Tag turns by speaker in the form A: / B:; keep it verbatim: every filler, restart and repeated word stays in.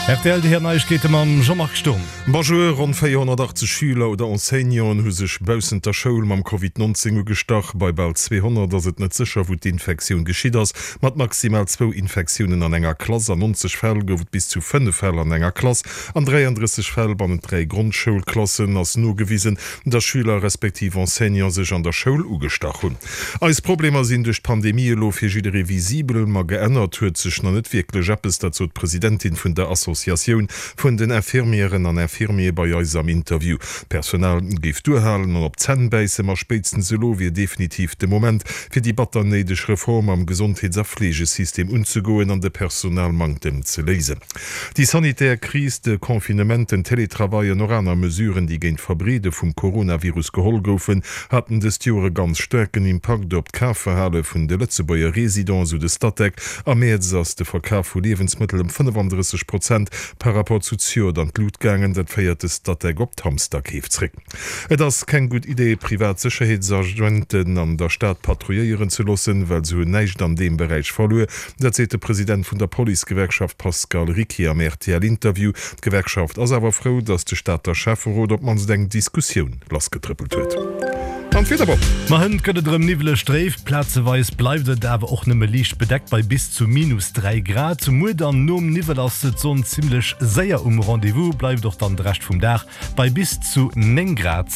A: Rtl, déi héier Neiegkeete mam Jean-Marc Sturm.
B: Bonjour, Ronn véierhonnertachtzeg Schüler oder Enseignanten hu sech baussent der Schoul mam Covid neunzéng ugestach. Bei bal zweehonnert ass et net sécher, wou d'Infektioun geschitt ass. Mat maximal zwou Infektiounen an enger Klass. An nonzeg Fäll gouf et bis zu fënnef Fäll an enger Klass. An dräiandrësseg Fäll bannent dräi Grondschoulklassen ass nogewisen, dass Schüler respektiv Enseignante sech an der Schoul ugestach hunn. Eis Problemer sinn duerch d'Pandemie elo fir jidderee visibel, ma geännert huet sech nach net wierklech eppes. Dat sot d'Presidentin vun der Associatioun vun den Infirmièren an Infirmiere bei eis am Interview. D'Personal géif duerhalen an op d'Zänn bäissen, ma spéitstens elo wier definitiv de Moment, fir déi batter néideg Reform am Gesondheets a Fleegesystem unzegoen an de Personalmanktem ze léisen. Déi sanitär Kris, de Confinement, den Télétravail an och aner Mesuren, déi géint d'Verbreede vum Coronavirus geholl goufen, haten dëst Joer e ganz staarken Impakt op d'Kafverhale vun de Lëtzebuerger Residenten, sou de Statec. Am Mäerz ass de Verkaf vu Liewensmëttel ëm fënnefandrësseg Prozent par rapport zu zejoert an d'Lut gaangen. Dat féiert de Statec op d'Hamsterkeef zréck. Et ass keng gutt Idee, privat Sécherheetsagenten an der Stad patrouilléieren ze loossen, well se hunn näischt an deem Beräich verluer. Dat seet de President vun der Policegewerkschaft Pascal Ricquier am R T L-Interview. D'Gewerkschaft ass awer frou, datt de Stater Schäfferot op d'mannst eng Diskussioun lassgetrëppelt huet. An d'Wieder, Bob.
A: Ma hënt gëtt et erëm niwweleg dréif, plazeweis bleift et awer och nëmme liicht bedeckt bei bis zu minus dräi Grad. Muer dann nom Niwwel ass d'Sonn zimmlech séier um Rendez-vous, bleift och dann de Rescht vum Dag bei bis zu néng Grad.